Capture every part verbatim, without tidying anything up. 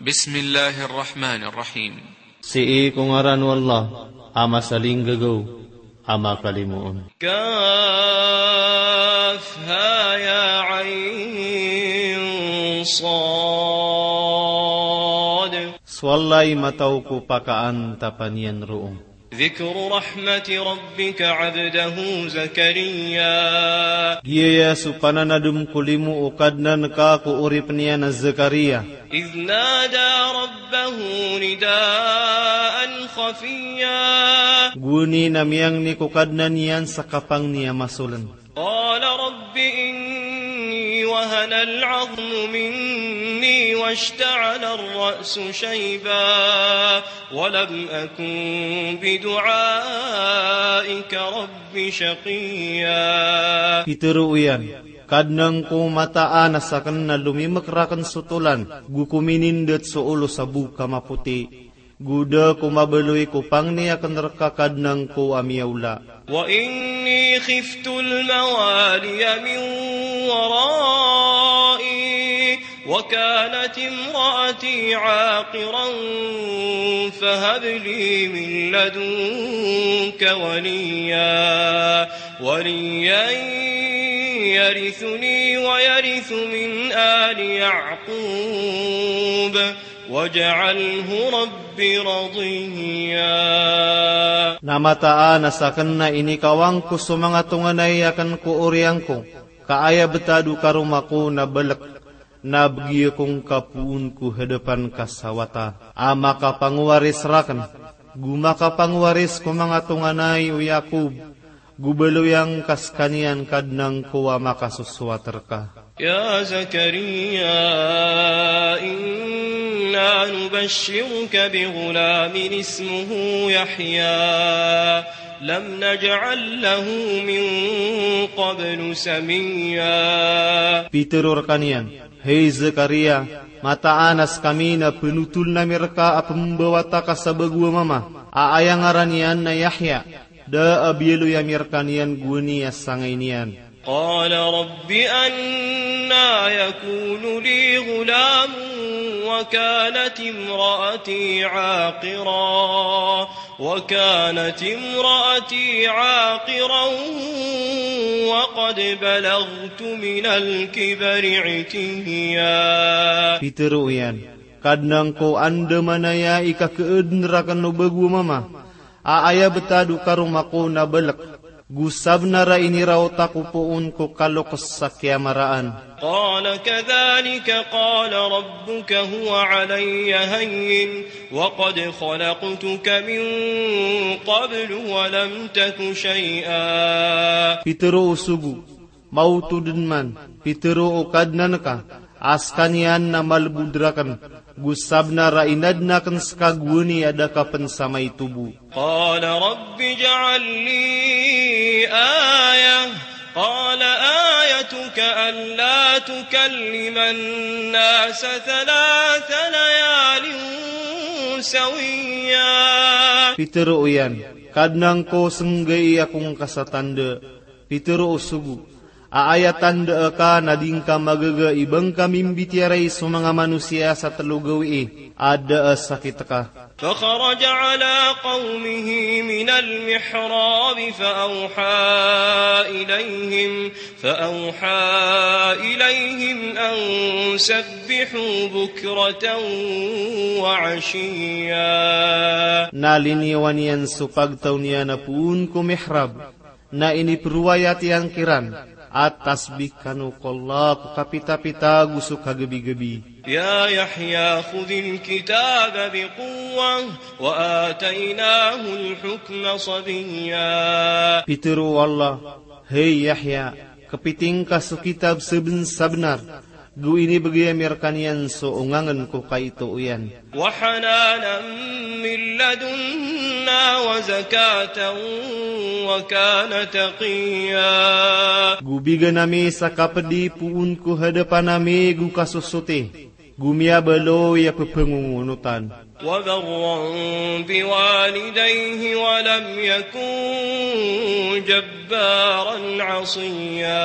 Bismillahir Rahmanir Rahim. Sii ko ngaran o Allah a masalinggagaw a makalimoon. Kaf ha ya ain sad. So Allah i mataw ko pakaantapan iyan roo. Dhikru rahmati rabbika abdahu Zakariya. Giyaya so pananadm ko limo o Kadnan ka ko oripn iyan a Zakariya. Idh nada rabbahu nidaan khafiyya. Gowani na miyangni ko Kadnan iyan sa kapangni a masoln. Qala rabbi inni wahanal azmu minni washta'alar ra'su shayba wa lam akun bidu'aika rabbi shaqiyya. Pitharo iyan, Kadnan ko, mataan a sakn na lomimk rakn so tolan, go ko minindt so olo sa bo ka mapoti. Go da ko mabaloy ko pangni akn rka Kadnan ko a miyaola. Wa inni khiftul mawaliya min warai wa kanat imraati aqiran fahab li min ladunka waliya, waliyan yarithuni wa yarithu min ali Ya'qub. Waj'alhu rabbi radiyya. Na mataan a sakn na inikawang ko so manga tonganay akn ko oriyan ko, ka aya btad o karoma ko na balk, na bgi akongka poon ko hadapan ka sa wata a makapangowaris rakn, go makapangowaris ko manga tonganay o Ya'qub, go baloy angka skaniyan Kadnan ko a makasosowat rka. Ya Zakariya, inna nubashshiruka bi ghulamin ismuhu Yahya, lam naj'al lahu min qablu samiyya. Pitharo rkaniyan, hay Zakariya, mataan a skami na pnotholn ami rka a pmbawata ka sa bago a mama, a aya ngaran iyan na Yahya. Da a biyaloy ami rkaniyan gowani a sangay niyan. Qala rabbi anna yakunu li ghulamun wa kanat imraati aqira, wa kanat imraati aqiran wa qad balaghtu minal kibari itiyya. Pitharo iyan, Kadnan ko, andamanaya i kakhaadn rakn o bago a mama, a aya btad o karoma ko na balk, go sabnar a iniraot ako poon ko kaloks sa kiyamaraan. Qala kadhalika qala rabbuka huwa alayya hayyin wa qad khalaqtuka min qablu wa lam taku shay'a. Pitharo o sogo, maoto dn man, pitharo o Kadnan ka, a skaniyan na malbod rakn, go sabnar a inadn akn ska gowani a da ka pn sa maito bo. Qala rabbi ij'al li ayah. Qala ayatuka alla tukalliman nasa thalatha layalin sawiyya. Pitharo iyan, Kadnan ko, snggai akongka sa tanda. Pitharo o sogo, a aya tanda ka na di ngka magaga i ba ngka mimbitiyarai so manga manosiya sa tlo gawii a da a sakit ka. Fakharaja ala qawmihi minal mihrab fa awha ilayhim, fa awha ilayhim an sabbihu bukratan wa ashiyya. Na liniyawan iyan so pagtaw niyan a poon ko mihrab, na iniprowayat iyan kiran a tasbih kano ko Allah ko kapitapita go so kagabigabi. Ya Yahya khudhil kitaba biquwwah wa ataynahul hukma sabiyya. Pitharo o Allah, hay Yahya, kpiting ka so kitab sabnsabnar, go inibgay ami rkaniyan so ongangn ko kaito iyan. Wa hananan min ladunna wa zakatan wa kana taqiyya. Go bigan ami sa kapdi poon ko hadapan ami go kasosoti, go miyabaloy a ppangongonotan. Wa barran biwalidayhi wa lam yakun jabbaran asiyya.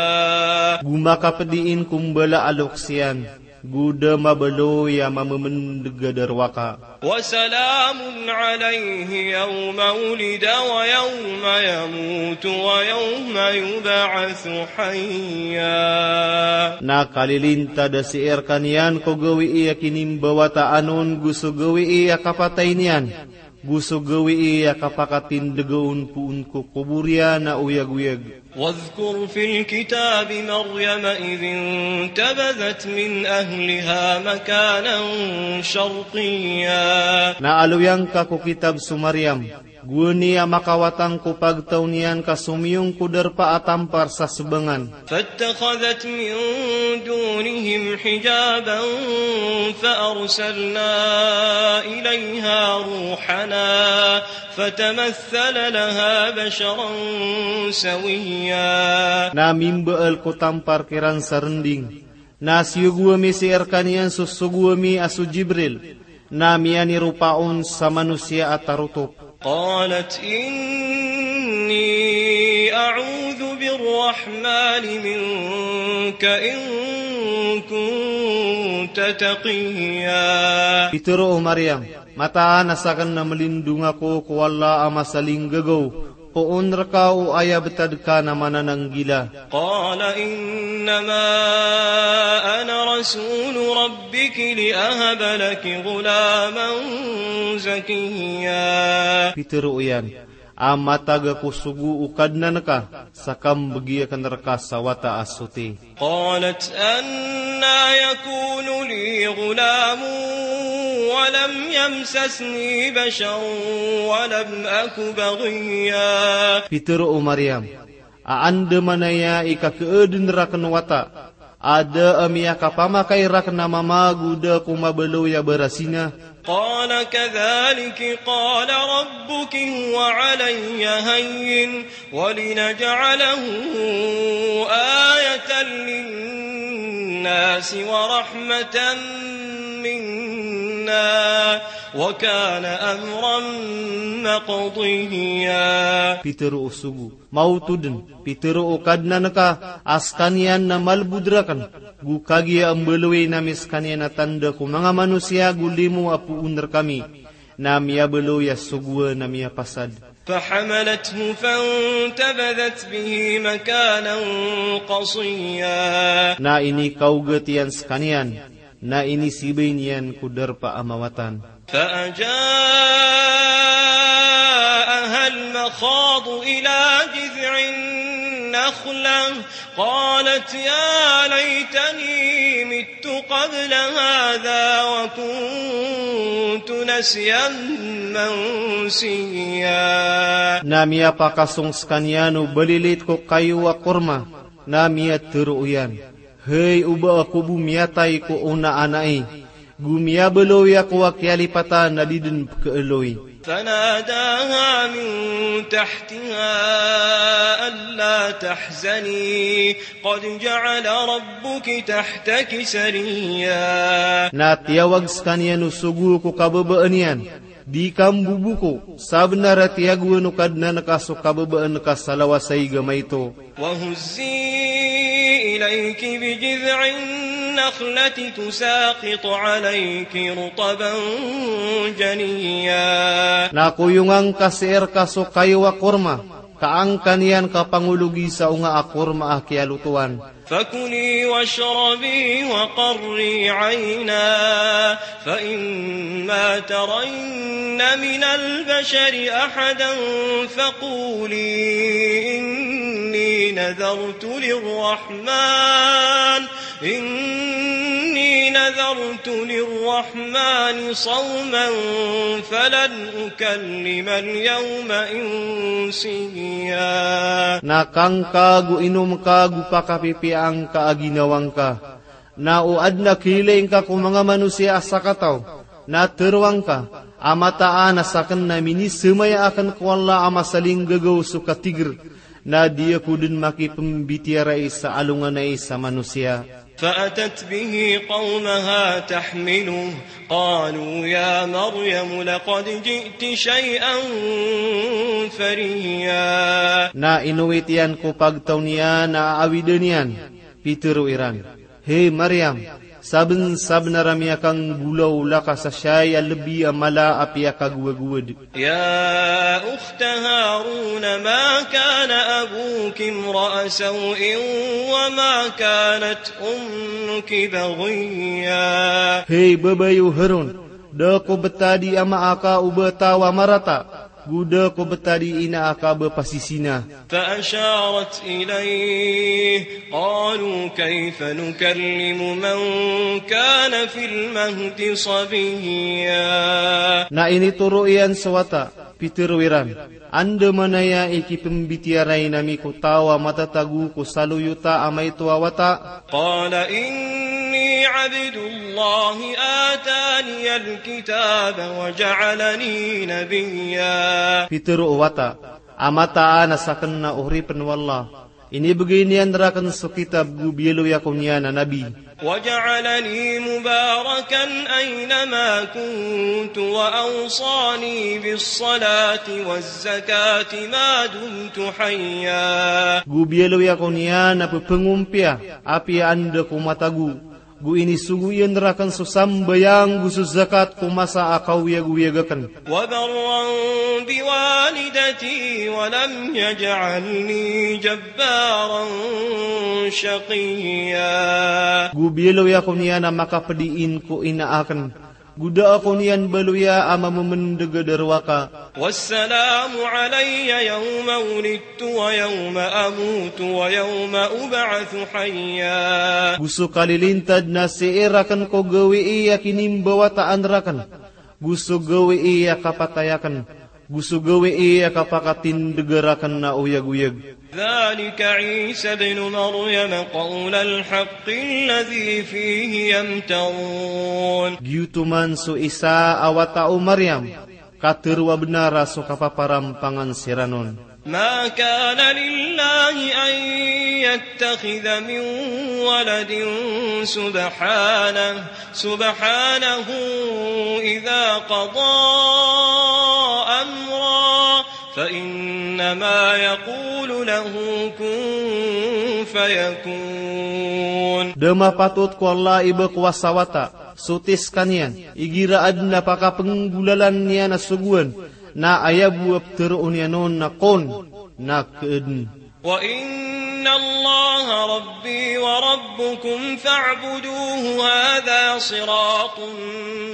Go makapdiin ko mbala a loks iyan, Go da mabaloy a mamemendeg a darowaka. وسلام عليه يوم ولد ويوم يموت ويوم يبعث حيا. Na kalilintad a sii rekaniyan ko gawii a kinimbawataan on go so gawii a kapatay niyan, go so gawii a kapakatindega on poon ko kobor iyan a oyagoyag. واذكر في الكتاب مريم إذ انتبذت من أهلها مكانا شرقيا. Na aloyangka ko kitab so Maryam, gowani a makawatang ko pagtaw niyan ka somiyong ko darpa a tampar sa sebangan. فاتخذت من دونهم حجابا فأرسلنا إليها روحنا فتمثل لها بشرا سويا. Na mimbaal ko tampar kiran sa rending. Na siyogo ami sii rekaniyan so sogo ami a so Jibril. Na miyaniropa on sa manosiya a tarotop. قالت إني أعوذ بالرحمن منك إن كنت تقيا. Pitero o Maryam, mataan a saken na melindong ako ko Allah a masalinggagaw, poon reka o aya betad ka na manananggila. قال إنما أنا رسول ربك لأهب لك غلاما زكيا. Pitero iyan, a matag ako sogo o Kadnan ka, sa kambegi aken reka sa wata a soti. قالت أنى يكون لي غلام ولم يمسسني بشر ولم أك بغيا. Pitero o Maryam, a andamanaya i kakeeden raken wata, a da a miyakapamakay raken a mama go da ako mabaloy a barasina. قال كذلك قال ربك هو علي هين ولنجعله آية للناس ورحمة منا وكان أمرا مقضيا. Pitero o sogo, maoto den, pitero o Kadnan ka, a sekaniyan na malbod raken, go kagiya mbaloyin ami sekaniyan a tanda ko manga manosiya go limo a poon rekami, na miyabaloy a sogoan a miyapasad. فحملته فانتبذت به مكانا قصيا. Na inikaogat iyan sekaniyan, na inisibay niyan ko darpa a mawatan. فأجاءها المخاض إلى جذع النخلة قالت يا ليتني مت قبل هذا وكنت نسيا منسيا. Na miyapakasong sekaniyan o balilit ko kayo a korma, na miyatero iyan, hay o ba ako bo miyatay ko ona a nai, go miyabaloy ako a kiyalipatan a di den pekeeloy. فناداها من تحتها ألا تحزني قد جعل ربك تحتك سريا. Na tiyawag sekaniyan o sogo ko kababaan iyan, di ka mbobuko, sabenar a tiyagoan o Kadnan ka so kababaan ka sa lawas a igama ito. وهزي إليك بجذع النخلة تساقط عليك رطبا جنيا. Na koyongan ka sii reka so kayo a korma, ka angkan iyan ka pangologi sa onga a korma a kiyalotowan. فكلي واشربي وقري عينا فإما ترين من البشر أحدا فقولي إني نذرت للرحمن، إني نذرت للرحمن صوما فلن أكلم اليوم إنسيا. Na kangka go inomka go pakapipiyangka a ginawangka. Na o aden a kiilaingka ko manga manosiya a sakataw, na teroangka a mataan a saken na minisemaya aken ko Allah a masalinggagaw so katiger, na di ako den makipembitiyarai sa alongan ai sa manosiya. فأتت به قومها تحمله قالوا يا مريم لقد جئت شيئا فريا. Na inowit iyan ko pagtaw niyan a aawiden iyan, pitero iran, hay Maryam, Sabnsabnar a miyakanggolawla ka sa siyay a lbi a mala a piyakagowagowad. يا أخت هارون ما كان أبوك امرأ سوء وما كانت أمك بغيا. Hay babay o Harun, da ko btad i ama aka o ba taw a marata, go da ko btad i ina aka ba pasisina. فأشارت إليه، قالوا كيف نكلم من كان في المهد صبيا. Na initoro iyan so wata, pitharo iran, andamanaya i kipmbitiyarai ami ko taw a matatago ko saloyota a maito a wata. قال إني عبد الله آتاني الكتاب وجعلني نبيا. Pitharo o wata, a mataan a sakn na oripn o Allah, inibgay niyan rakn so kitab go biyaloy ako niyan a nabi. وجعلني مباركا أينما كنت وأوصاني بالصلاة والزكاة ما دمت حيا. Go biyaloy ako niyan a pphangompiyaya apiya anda ko matago, go inisogo iyan rakn so sambayang go so zakat ko masa a kaoyagoyag akn. وبرا بوالدتي ولم يجعلني جبارا شقيا. Go biyaloy ako niyan a makapdiin ko ina akn, go da ako niyan baloya a mamamndg a darowaka. والسلام علي يوم ولدت ويوم أموت ويوم أبعث حيا. Go so kalilintad na sii rakn ko gawii a kinimbawataan rakn, go so gawii a kapatay akn, go so gawii a kapakatindg rakn a oyagoyag. ذلك عيسى ابن مريم قول الحق الذي فيه يمترون. Giyoto man so Isa a wata o Maryam, katharo a bnar a so kapaparampangan siran on. ما كان لله أن يتخذ من ولد سبحانه، سبحانه إذا قضى أمرا فإنما يقول له كن فيكون. Da mapatot ko Allah i ba ko wasa wata, sotis kaniyan, igira adn a pakapnggolalan iyan a sogoan, na aya bo a ptharoon iyan on na kun, na kn. وإن الله ربي وربكم فاعبدوه هذا صراط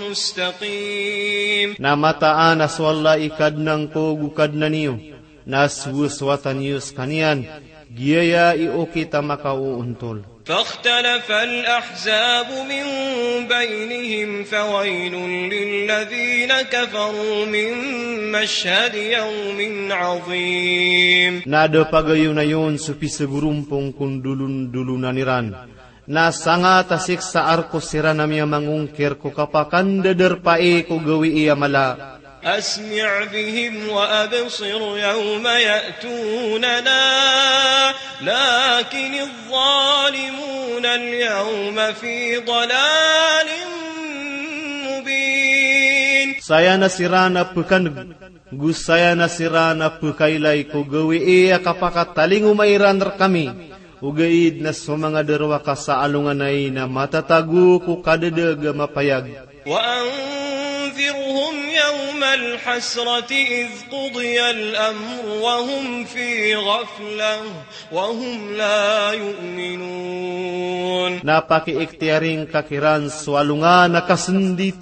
مستقيم. Na mataan a so Allah i Kadnan ko go Kadnan iyo, na sowasowatan iyo skaniyan, giyaya i okit a makaoontol. فاختلف الأحزاب من بينهم فويل للذين كفروا من مشهد يوم عظيم. Na da pagayonayon so pisagorompong ko ndolondolonan iran. Na sangat a siksa a rk siran a miyamangongkir ko kapakandadarpai ko gawii a mala. أسمع بهم وأبصر يوم يأتوننا لكن الظالمون اليوم في ضلال مبين. Saya na siran a pkandg, go saya na siran a pkailay ko gawii a kapakatalingoma iran rkami, ogaid na so manga darowaka sa alongan ai na matatago ko kadadg a mapayag. وأنذرهم يوم الحسرة إذ قضي الأمر وهم في غفلة وهم لا يؤمنون. Na pakiiktiyaring ka kiran so alongan a kasndit,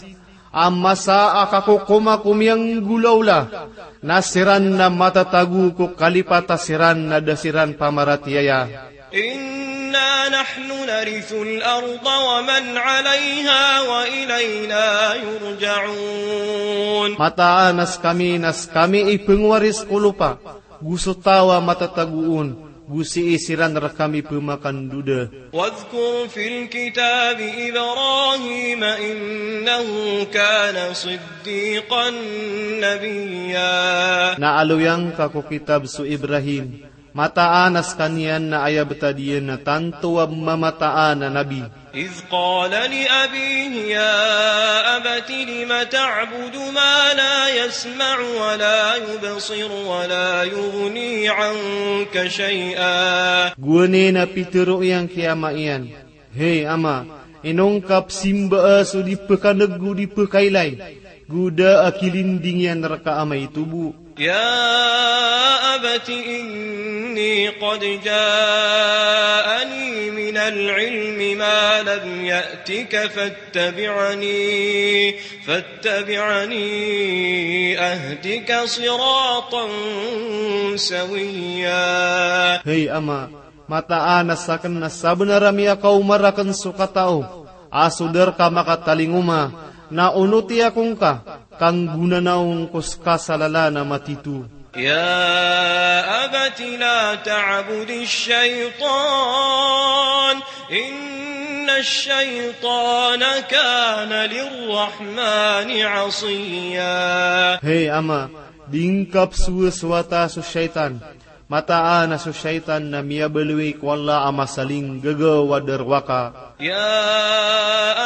a masa a kakokomakomiyanggolawla, na siran na matatago ko kalipat a siran na da siran pamaratiyaya. إنا نحن نرث الأرض ومن عليها وإلينا يرجعون. Mataan a skami na skami i pngwaris ko lopa, go so taw a matatago on, go sii siran rkami pmakandoda. واذكر في الكتاب إبراهيم إنه كان صديقا نبيا. Na aloyangka ko kitab so Ibrahim, mataan a skaniyan na aya btad iyan na tanto a mamataan a nabi. إذ قال لأبيه يا أبت لم تعبد ما لا يسمع ولا يبصر ولا يغني عنك شيئا. Gowani na pitharo iyan ki ama iyan, "Hay ama, Inongkap simbaa so di pkaneg go di pkailay, go da a kilinding iyan rka a maito bo. يا أبت إني قد جاءني من العلم ما لم يأتك فاتبعني، فاتبعني أهدك صراطا سويا. Hay ama, mataan a sakn na sabnar a miyakaoma rakn so katao a so da rka makatalingoma, na onoti ako ngka, ka nggonanaw ngko ska sa lalan a matito. يا أبت لا تعبد الشيطان إن الشيطان كان للرحمن عصيا. Hay ama, di ngka pzowasowata so shaytan. Mataan a so shaytan na miyabaloy ko Allah a masalinggagaw a darowaka. يا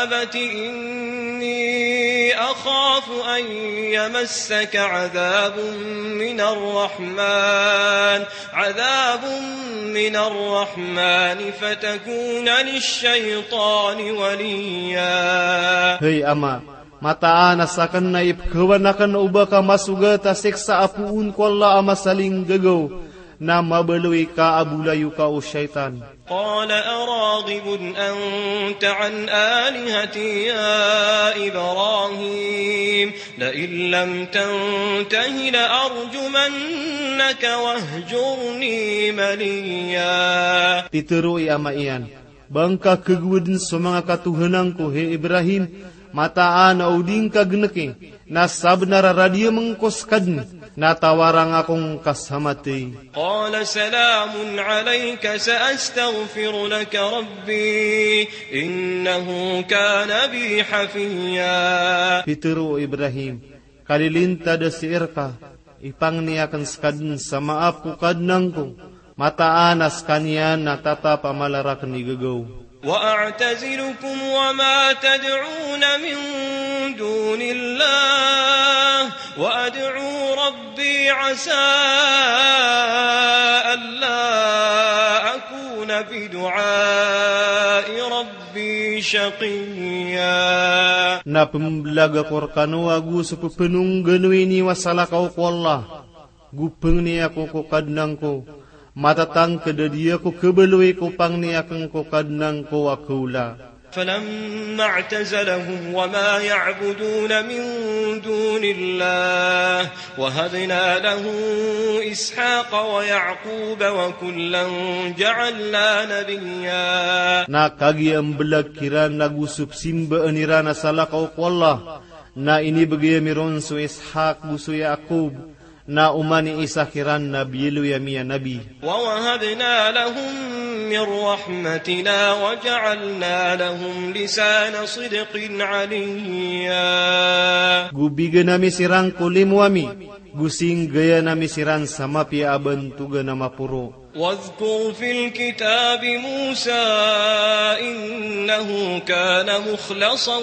أبت إني أخاف أن يمسك عذاب من الرحمن، عذاب من الرحمن فتكون للشيطان وليا. Hay ama, mataan a sakn na ipkhawan akn o ba ka masogat a siksa a poon ko Allah a masalinggagaw, na mabaloy ka a bolayoka o shaytan. قال أراغب أنت عن آلهتي يا إبراهيم لئن لم تنته لأرجمنك واهجرني مليا. Pitharo i ama iyan, ba ngka khagowad so manga katohanan ko, hay Ibrahim, mataan a o di ngka gnki, na sabnar a radiyam ngko skadn, na tawarang ako ngka sa matay. قال سلام عليك سأستغفر لك ربي إنه كان بي حفيا. Pitharo o Ibrahim, kalilintad a sii rka, ipangni akn skadn sa maap ko Kadnan ko, mataan a skaniyan na tatap a mala rakn i gagaw. وأعتزلكم وما تدعون من دون الله وأدعو ربي عسى ألا أكون بدعاء ربي شقيا. Na pmblag ako rkano ago so pphanongganoy niyo a salakaw ko Allah, go pangni ako ko Kadnan ko, matatangkd a di ako khabaloy ko pangni akn ko Kadnan ko a khaola. فلما اعتزلهم وما يعبدون من دون الله وهبنا له إسحاق ويعقوب وكلا جعلنا نبيا. Na kagiya mblag kiran ago so psimbaan iran a salakaw ko Allah, na inibgay ami ron so Ishaq go so Yaqub, na oman i Isa kiran na biyaloy ami a nabi. ووهبنا لهم من رحمتنا وجعلنا لهم لسان صدق عليا. Go bigan ami siran ko limo ami, go singgayan ami siran sa mapiya a bantogan a maporo. واذكر في الكتاب موسى إنه كان مخلصا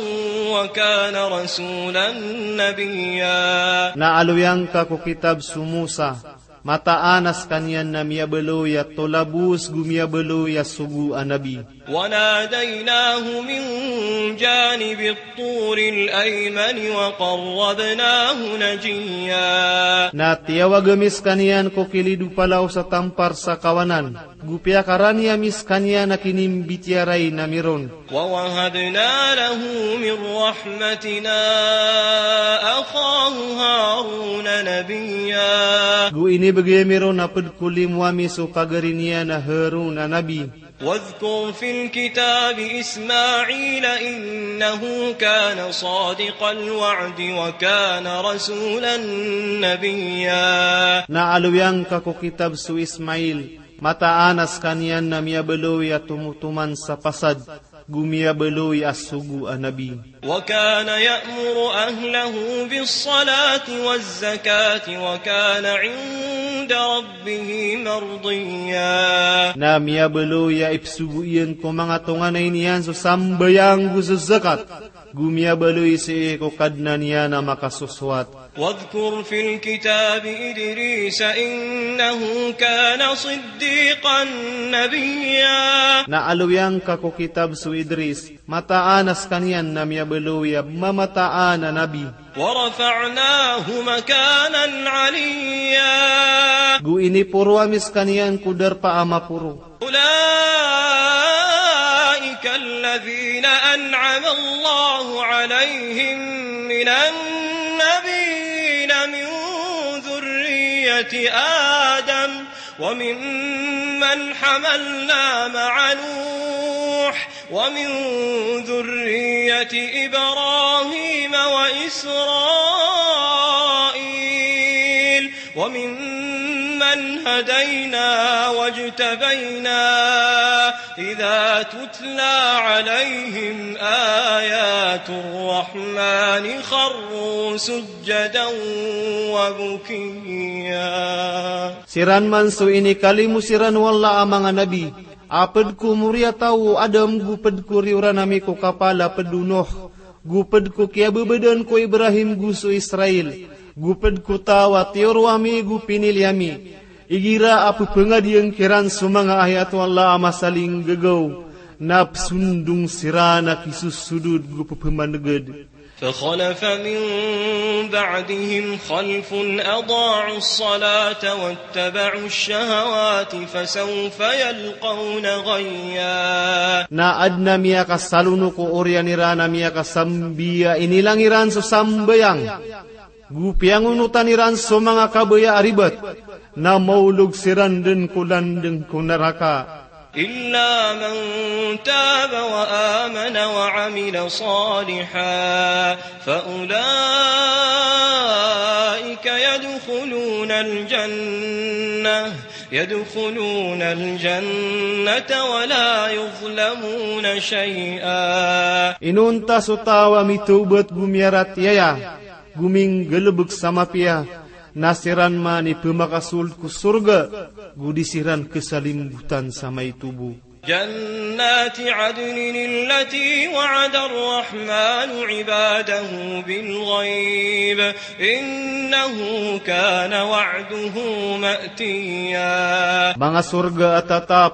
وكان رسولا نبيا. Na aloyang ka ko kitab so Musa, mataan a skaniyan na miyabaloy a tolabos go miyabaloy a sogo a nabi. وناديناه من جانب الطور الأيمن وقربناه نجيا. Na tiyawag ami skaniyan ko kilid o palaos a tampar sa kawanan, go piyakarani ami skaniyan a kinimbitiyarai nami ron. ووهبنا له من رحمتنا أخاه هارون نبيا. Go inibgay ami ron a pd ko limo ami so pagari niyan a Harun a nabi. واذكر في الكتاب إسماعيل إنه كان صادق الوعد وكان رسولا نبيا. Na aloyang ka ko kitab so Ismail, mataan a skaniyan na miyabaloy a tomotoman sa pasad, go miyabaloy a sogo a nabi. وكان يأمر أهله بالصلاة والزكاة وكان عند ربه مرضيا. Na miyabaloy a ipsogo iyan ko manga tonganay niyan so sambayang go so zakat, Go miyabaloy sii ko Kadnan iyan a makasosowat. واذكر في الكتاب إدريس إنه كان صديقا نبيا. Na alowiyan ka ko kitab so Idris, mataan a skaniyan na miyabaloy a mamataan a nabi. ورفعناه مكانا عليا. Go iniporo ami skaniyan ko darpa a maporo. أولئك الذين أنعم الله عليهم من النبيين من ذرية آدم وممن حملنا مع نوح ومن ذرية إبراهيم وإسرائيل وممن هدينا واجتبينا إذا تتلى عليهم آيات الرحمن خروا سجدا وبكيا. Siran man so inikalimo siran o Allah a manga nabi, a pd ko moriyataw o Adam, go pd ko riyoran ami ko kapal a pd o Nuh, go pd ko kiyababadan ko Ibrahim go so Israil, go pd ko taw a tiyoro ami go pinili ami. Igira a pphangadiyan kiran so manga ayat o Allah a masalinggagaw, na psondong siran a kisosodod go pphamangd. فخلف من بعدهم خلف أضاعوا الصلاة واتبعوا الشهوات فسوف يلقون غيا. Na adn a miyakasalono ko oriyan iran a miyakasambi a inilang iran so sambayang, go piyangonotan iran so manga kabaya a ribat, na maolog siran dn ko landng ko naraka. إلا من تاب وآمن وعمل صالحا فأولئك يدخلون الجنة، يدخلون الجنة ولا يظلمون شيئا. Inonta so taw a mitawbat go miyaratiyaya, go minggalbk sa mapiya, na siran man i pmakasold ko sorga, go di siran khasalimbotan sa maito bo. جنات عدن التي وعد الرحمن عباده بالغيب إنه كان وعده مأتيا. Manga sorga a tatap,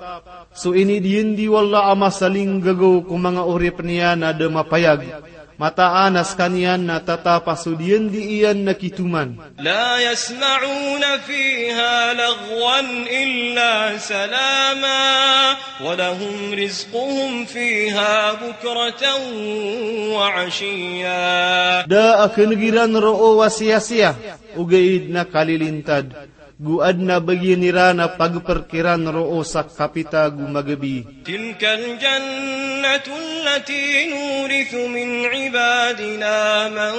so inidiyandi o Allah a masalinggagaw ko manga oripn iyan a da mapayag. Mataan a skaniyan na tatap a so diyandi iyan na kitoman. لا يسمعون فيها لغوا إلا سلاما ولهم رزقهم فيها بكرة وعشيا. Da a khaneg iran roo a siyasiya, ogaid na kalilintad. Go adn a bagian iran a pagprk iran roo sa kapita go magabi. تلك الجنة التي نورث من عبادنا من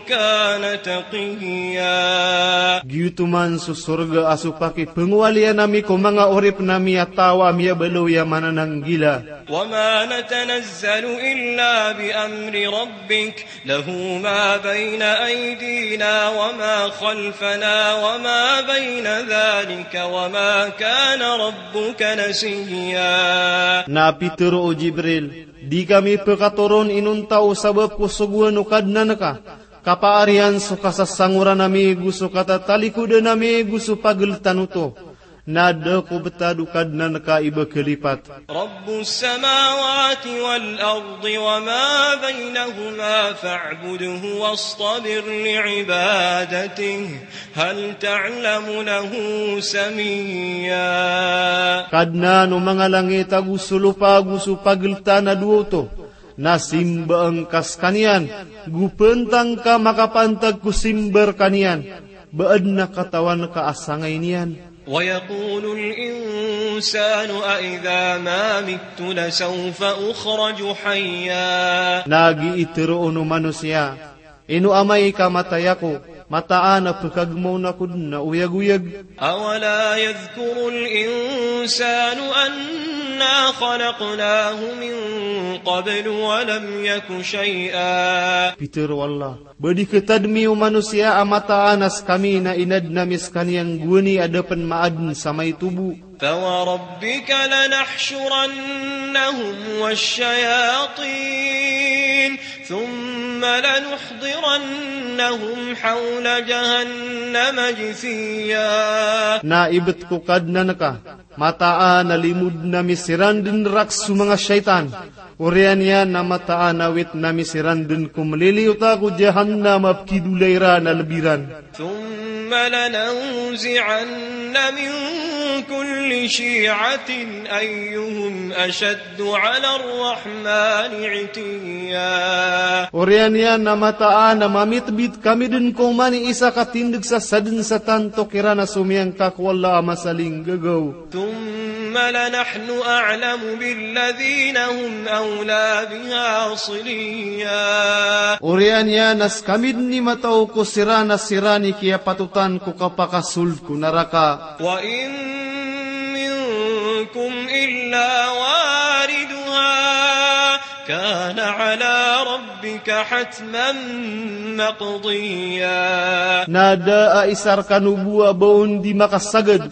كان تقيا. Giyoto man so sorga a so pakipngowalian ami ko manga oripn ami a taw a miyabaloy a manananggila. وما نتنزل إلا بأمر ربك له ما بين أيدينا وما خلفنا وما بين ذلك وما كان ربك نسيا. Na pitharo o Jibril, di kami pkhatoron inonta o sabap ko sogoan o Kadnan ka, kapaar iyan so kasasangoran ami go so katatalikodan ami go so pagltan oto. Na da ko btad o Kadnan ka i ba khalipat. رب السماوات والأرض وما بينهما فاعبده واصطبر لعبادته هل تعلم له سميا. Kadnan o manga langit ago so lopa ago so pagltan a dowa oto, na simbaa ngka skaniyan, go pantang ka makapantag ko simba rkaniyan, ba adn a katawan ka a sangay niyan. ويقول الإنسان أإذا ما مت لسوف أخرج حيا. Na giya i tharoon o manosiya, ino amay ka matay ako, mataan a pkhagmaw ako dn a oyagoyag. أولا يذكر الإنسان أنا خلقناه من قبل ولم يك شيئا. Pitharo o Allah, ba di khatadmi o manosiya a mataan a skami na inadn ami skaniyan gowani a da pn maadn sa maito bo. فوربك لنحشرنهم والشياطين ثم لنحضرنهم حول جهنم جثيا. Na ibt ko Kadnan ka, mataan a limodn ami siran dn rak so manga shaytan. Oriyan iyan na mataan a witn ami siran dn ko mliliyota ko Jahannam a pkidola iran a lb iran. ثم لننزعن من كل شيعة أيهم أشد على الرحمن عتيا. Oriyan iyan na mataan a mamitbit kami dn ko oman i isa ka tindg sa sadn sa tanto kiran a somiyangka ko Allah a masalinggagaw. ثم لنحن أعلم بالذين هم أولى بها صليا. Oriyan iyan na skami dn i mataw ko siran a siran i kiyapatotan ko kapakasold ko naraka. وإن منكم إلا واردها كان على ربك حتما مقضيا. Na da a isa rkano bo a ba on di makasagad,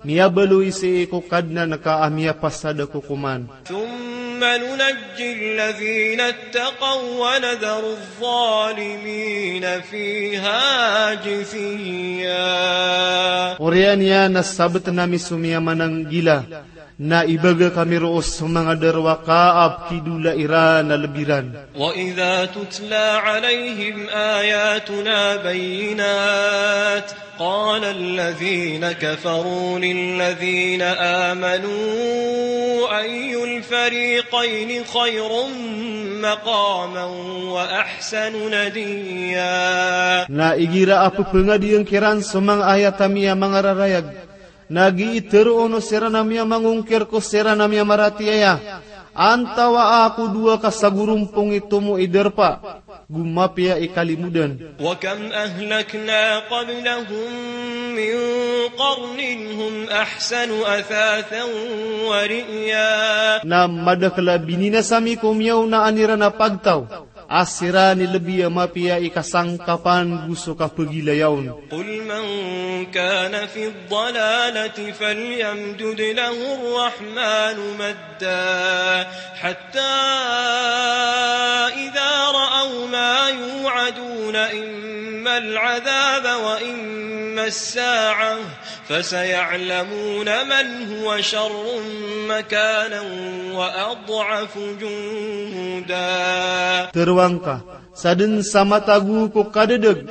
miyabaloy sii ko Kadnan ka a miyapasad a kokoman. ثم ننجي الذين اتقوا ونذر الظالمين فيها جثيا. Oriyan iyan na sabtn ami so miyamananggila, na ibaga kami roo so manga darowaka a pkidola iran a lb iran. وإذا تتلى عليهم آياتنا بينات قال الذين كفروا للذين آمنوا أي الفريقين خير مقاما وأحسن نديا. Na igira a pphangadiyan kiran so manga ayat ami a mangararayag, na gii tharoon o siran a miyamangongkir ko siran a miyamaratiyaya, antawaa ko dowa ka sagorompong i tomo i darpa, go mapiya i kalimodan. وكم أهلكنا قبلهم من قرن هم أحسن أثاثا ورئيا. Na madakl a bininasa mi ko miyaonaan iran a pagtaw, a siran i lbi a mapiya i kasangkapan go so kapagilaya on. قل من كان في الضلالة فليمدد له الرحمن مدا حتى إذا رأوا ما يوعدون إما العذاب وإما الساعة فسيعلمون من هو شر مكانا وأضعف جندا. Tharoang ka, sadn sa matago ko kadadg,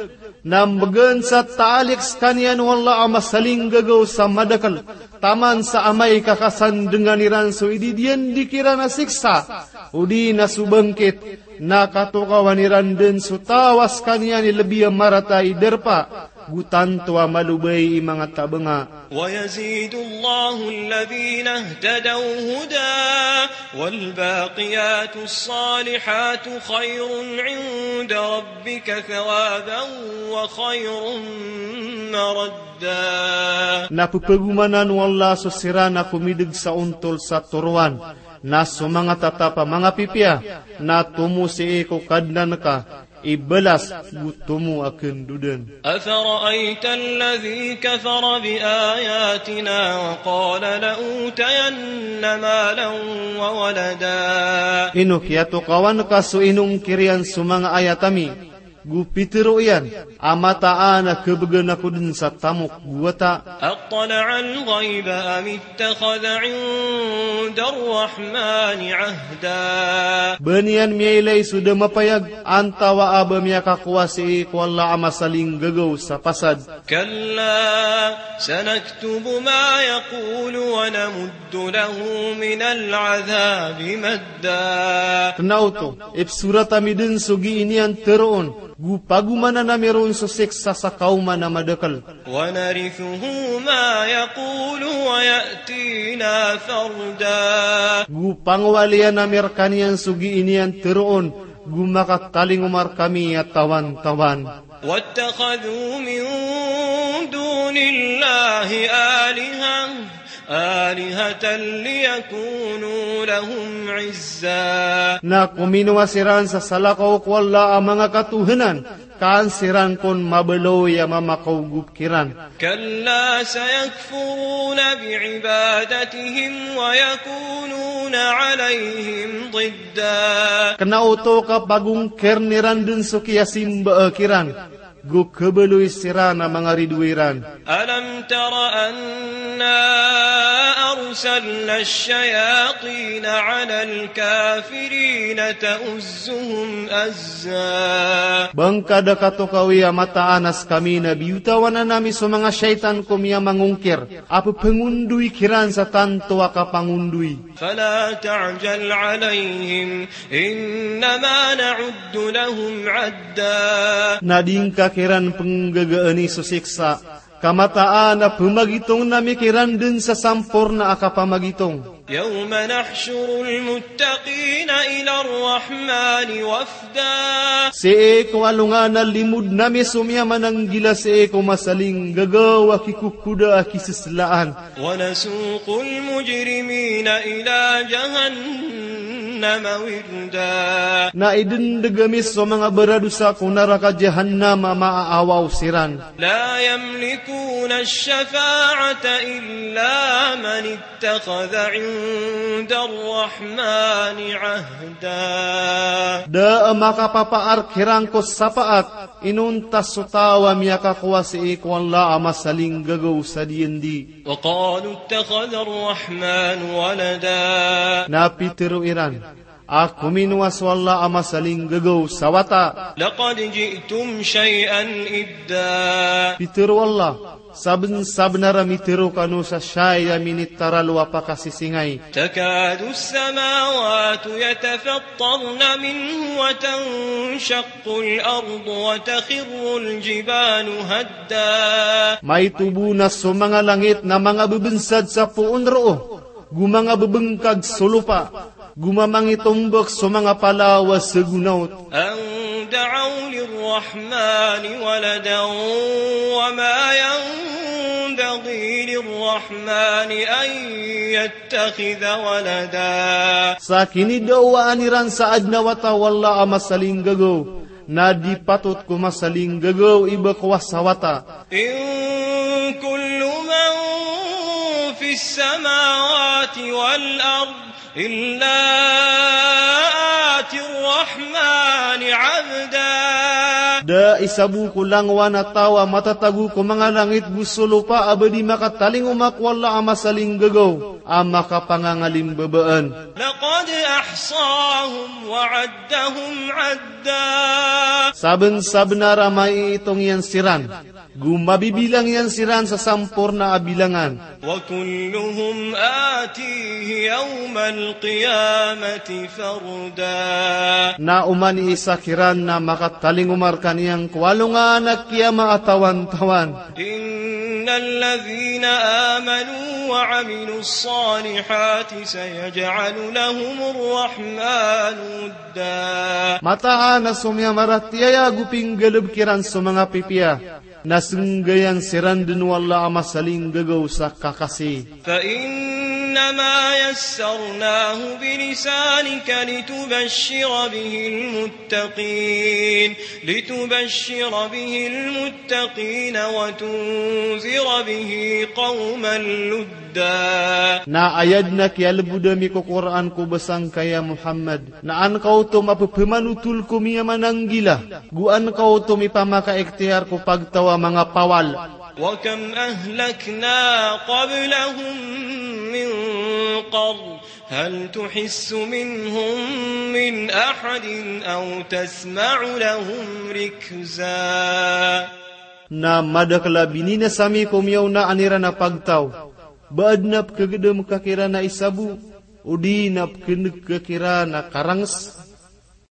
na mbgan sa taalik skaniyan o Allah a masalinggagaw sa madakl, taman sa amay ka kasandngan iran so ididiyandi kiran a siksa, odi na so bangkit, na katokawan iran dn so taw a skaniyan i lbi a marata i darpa, go tanto a malobay i manga tabanga. ويزيد الله الذين اهتدوا هدى والباقيات الصالحات خير عند ربك ثوابا وخير مردا. Na pphagomanan o Allah so siran a komidg sa ontol sa toroan, na so manga tatap a manga pipiya, na tomo sii ko Kadnan ka i balas go tomo a khandodan. أفرأيت الذي كفر بآياتنا وقال لأوتين مالا وولدا. Ino kiyatokawan ka so inongkir iyan so manga ayat ami, go pitharo iyan a mataan a khabgan ako dn sa tamok go wata. أطلع الغيب أم اتخذ عند الرحمن عهدا. Ba niyan miyailay so da mapayag, antawaa ba miyakakowa sii ko Allah a masalinggagaw sa pasad. كلا سنكتب ما يقول ونمد له من العذاب مدا. Kna oto, ipsorat ami dn so gii niyan tharoon, go pagomanan ami ron so siksa sa kaoman a madakl. ونرثه ما يقول ويأتينا فردا. Go pangowalian ami rkaniyan so gii niyan tharoon, go makatalingoma rkami a tawan-tawan. واتخذوا من دون الله آلهة، آلهة ليكونوا لهم عزا. Na kominowa siran sa salakaw ko Allah a manga katohanan, Ka an siran kon mabaloy a mamakaogop kiran. كلا سيكفرون بعبادتهم ويكونون عليهم ضدا. Kna oto ka pagongkirn iran dn so kiyasimba kiran, go khabaloy siran a manga ridoay ran. ألم تر أنا أرسلنا الشياطين على الكافرين تؤزهم أزا. Ba ngka da katokawi a mataan a skami na biyotawan ami so manga shaytan ko miyamangongkir a ppangondoy kiran sa tanto a kapangondoy. فلا تعجل عليهم إنما نعد لهم عدا. Na di ngka kiran pnggagaan i so siksa, ka mataan a pamagitongn ami kiran dn sa samporna a kapamagitong. يوم نحشر المتقين إلى الرحمن وفدا. Sii ko alongan a limodn ami so miyamananggila sii ko masalinggagaw a kikokoda a kiseslaan. ونسوق المجرمين إلى جهنم وردا. Na idndg ami so manga baradosa ko naraka Jahannam a maaawaw siran. لا يملكون الشفاعة إلا من اتخذ عند الرحمن عهدا. Da a makapapaar kiran ko sapaat inonta so taw a miyakakowa sii ko Allah a masalinggagaw sa diyandi. وقالوا اتخذ الرحمن ولدا. Na pitharo iran a kominowa so Allah a masalinggagaw sa wata. لقد جئتم شيئا إدا. Pitharo o Allah, sabnsabnar a mitharo kano sa shay a minitaralo a pakasisingay. تكاد السماوات يتفطرن منه وتنشق الأرض وتخر الجبال هدا. Maito bo na so manga langit na manga bbnsad sa poon roo, go manga bbngkag so lopa, go mamangitombk so manga palaw a sagonaot. أن دعوا للرحمن ولدا وما ينبغي للرحمن أن يتخذ ولدا. Sa kinidawaan iran sa adn a wata o Allah a masalinggagaw, na di patot ko masalinggagaw i ba kowa sa wata. إن كل من في السماوات والأرض إلا آتي الرحمن عبدا. Da isa bo ko langowan a taw a matatago ko manga langit go so lopa a ba di makatalingoma ko Allah a masalinggagaw a makapangangalimbabaan. لقد أحصاهم وعدهم عدا. Sabnsabnar a maiitong iyan siran, go mabibilang iyan siran sa samporna a bilangan. وكلهم آتيه يوم القيامة فردا. Na oman i isa kiran na makatalingoma rkaniyan ko alongan a kiyama a tawantawan. إن الذين آمنوا وعملوا الصالحات سيجعل لهم الرحمن ودا. Mataan a so miyamaratiyaya go pinggalbk iran so manga pipiya, na snggayan siran dn o Allah a masalinggagaw sa kakasi. فإنما يسرناه بلسانك لتبشر به المتقين، لتبشر به المتقين وتنذر به قوما لدا. Na aya dn a kiyalbod ami ko Qur'an ko basa ngka ya Muhammad, na an ka oto mapphmanotol ko miyamananggila, go an ka oto mipamakaikhtiyar ko pagtaw a manga pawal. وكم أهلكنا قبلهم من قرن هل تحس منهم من أحد أو تسمع لهم ركزا. Na madakl a bininasa ami ko miyaonaan iran a pagtaw, ba adn a pkhagdam ka kiran a isa bo, odi na pkhneg ka kiran a karangs.